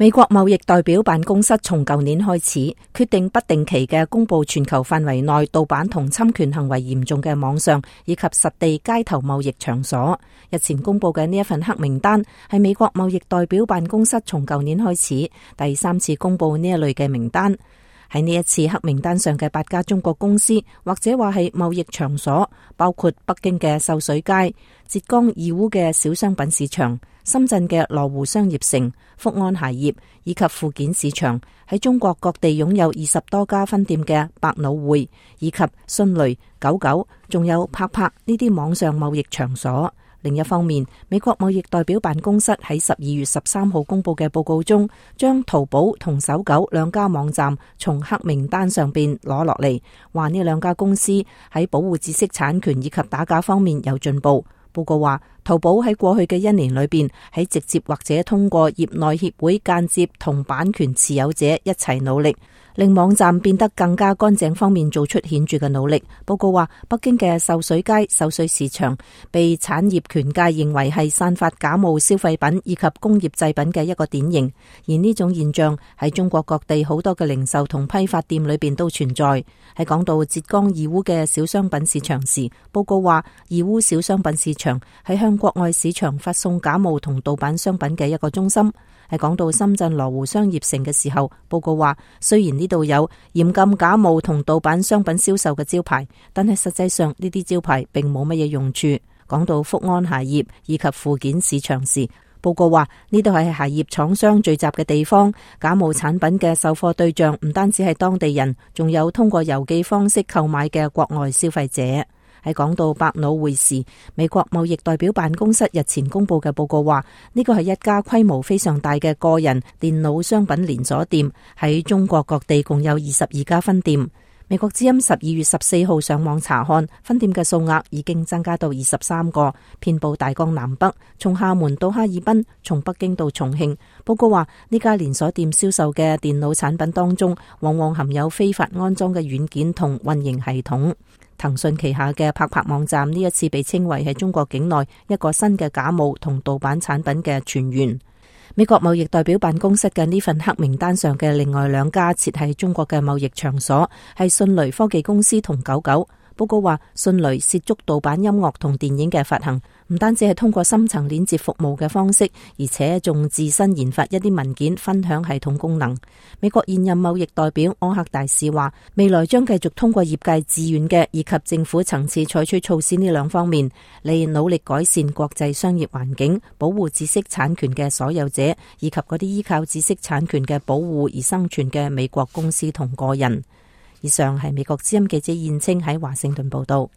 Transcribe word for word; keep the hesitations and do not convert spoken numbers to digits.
美國貿易代表辦公室從舊年開始決定不定期嘅公布全球範圍內盜版同侵權行為嚴重嘅網上以及實地街頭貿易場所。日前公布嘅呢一份黑名單係美國貿易代表辦公室從舊年開始第三次公布呢一類嘅名單。喺呢一次黑名單上嘅八家中國公司或者話係貿易場所，包括北京嘅秀水街、浙江義烏嘅小商品市場、深圳嘅羅湖商業城、福安鞋業以及附件市場，喺中國各地擁有二十多家分店嘅百腦匯以及迅雷、九九，仲有拍拍呢啲網上貿易場所。另一方面，美國貿易代表辦公室喺十二月十三號公布嘅報告中，將淘寶同搜狗兩家網站從黑名單上邊攞落嚟，話呢兩家公司喺保護知識產權以及打假方面有進步。報告話，淘寶喺過去嘅一年裏邊，喺直接或者通過業內協會間接同版權持有者一齊努力，令網站變得更加乾淨方面做出顯著嘅努力。報告話，北京嘅秀水街秀水市場被產業權界認為係散發假冒消費品以及工業製品嘅一個典型，而呢種現象喺中國各地好多嘅零售同批發店裏邊都存在。喺講到浙江義烏嘅小商品市場時，報告話，義烏小商品市場係向國外市場發送假冒同盜版商品嘅一個中心。喺講到深圳羅湖商業城嘅時候，報告話，雖然呢度有嚴禁假冒同盜版商品銷售嘅招牌，但係實際上呢啲招牌並冇乜嘢用處。講到福安鞋業以及附件市場時，報告話，呢度係鞋業廠商聚集嘅地方，假冒產品嘅售貨對象唔單止係當地人，仲有通過郵寄方式購買嘅國外消費者。喺講到百腦匯時，美國貿易代表辦公室日前公布嘅報告話，呢個係一家規模非常大嘅個人電腦商品連鎖店，喺中國各地共有二十二家分店。美國之音十二月十四號上網查看，分店嘅數額已經增加到二十三個，遍佈大江南北，從廈門到哈爾濱，從北京到重慶。報告話，呢家連鎖店銷售嘅電腦產品當中，往往含有非法安裝嘅軟件同運營系統。騰訊旗下嘅拍拍網站呢一次被稱為係中國境內一個新嘅假冒同盜版產品嘅泉源。美國貿易代表辦公室嘅呢份黑名單上嘅另外兩家設喺中國嘅貿易場所係迅雷科技公司同九九。報告話，迅雷涉足盜版音樂同電影嘅發行，唔單止係通過深層鏈接服務嘅方式，而且仲自身研發一啲文件分享系統功能。美國現任貿易代表柯克大使話，未來將繼續通過業界自願嘅以及政府層次採取措施呢兩方面，嚟努力改善國際商業環境，保護知識產權嘅所有者，以及嗰啲依靠知識產權嘅保護而生存嘅美國公司同個人。以上係美國之音記者燕青喺華盛頓報道。